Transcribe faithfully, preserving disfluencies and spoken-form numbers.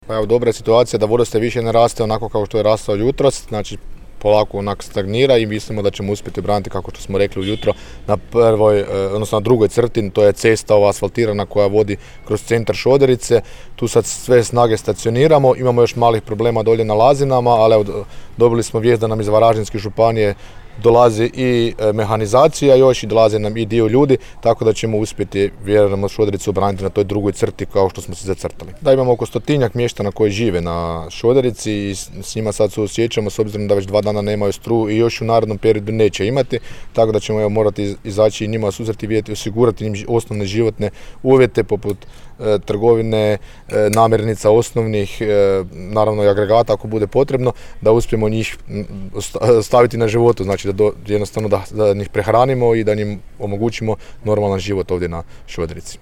Pa evo, dobra je situacija da vodostaj više ne raste onako kao što je rastao jutros, znači polako onak stagnira i mislimo da ćemo uspjeti braniti, kako što smo rekli ujutro, na prvoj, odnosno na drugoj crti, to je cesta ova asfaltirana koja vodi kroz centar Šoderice. Tu sad sve snage stacioniramo, imamo još malih problema dolje na Lazinama, ali evo, dobili smo vijest da nam iz Varaždinske županije dolazi i mehanizacija još i dolaze nam i dio ljudi, tako da ćemo uspjeti, vjerujemo, Šodericu obraniti na toj drugoj crti kao što smo se zacrtali. Da, imamo oko stotinjak mještana koji žive na Šoderici i s njima sad suosjećamo s obzirom da već dva dana nemaju struju i još u narednom periodu neće imati, tako da ćemo evo, morati izaći i njima susreti, vidjeti, osigurati im osnovne životne uvjete poput e, trgovine, e, namirnica osnovnih, e, naravno i agregata ako bude potrebno, da uspijemo njih staviti na životu, znači da do, jednostavno da, da njih prehranimo i da njim omogućimo normalan život ovdje na Šoderici.